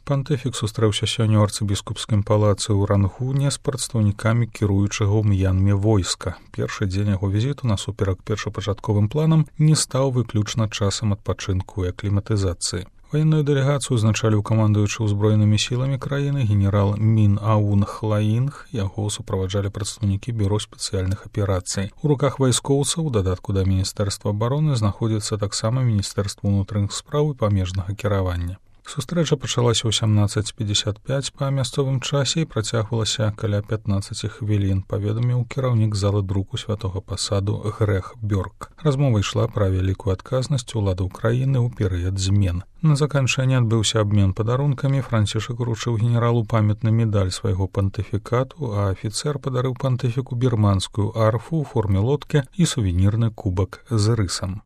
Пантыфік сустрэўся сёння ў арцыбіскупскім палацы ў Рангуне з прадстаўнікамі кіруючага ў М'янме войска. Першы дзень яго візіту насуперак першапачатковым планам не стаў выключна часам адпачынку і акліматызацыі. Ваенную дэлегацыю узначаліў камандуючы ўзброенымі сіламі краіны генерал Мін Аун Хлаінг, яго суправаджалі прадстаўнікі бюро спецыяльных аперацый. У руках вайскоўцаў, у дадатку да міністэрства абароны, знаходзіцца таксама міністэрства ўнутраных спраў і памежнага кіравання. Сустрэча пачалася ў 17:55 па мясцовым часе і працягвалася каля 15 хвілін, паведаміў кіраўнік залы друку святога пасаду Грэх Бёрк. Размова ішла пра вялікую адказнасць уладаў краіны ў перыяд змен. На заканчэнне адбыўся абмен падарункамі, Францішак уручыў генералу памятны медаль свайго пантыфікату, а афіцэр падарыў пантыфіку бірманскую арфу ў форме лодкі і сувенірны кубак з рысам.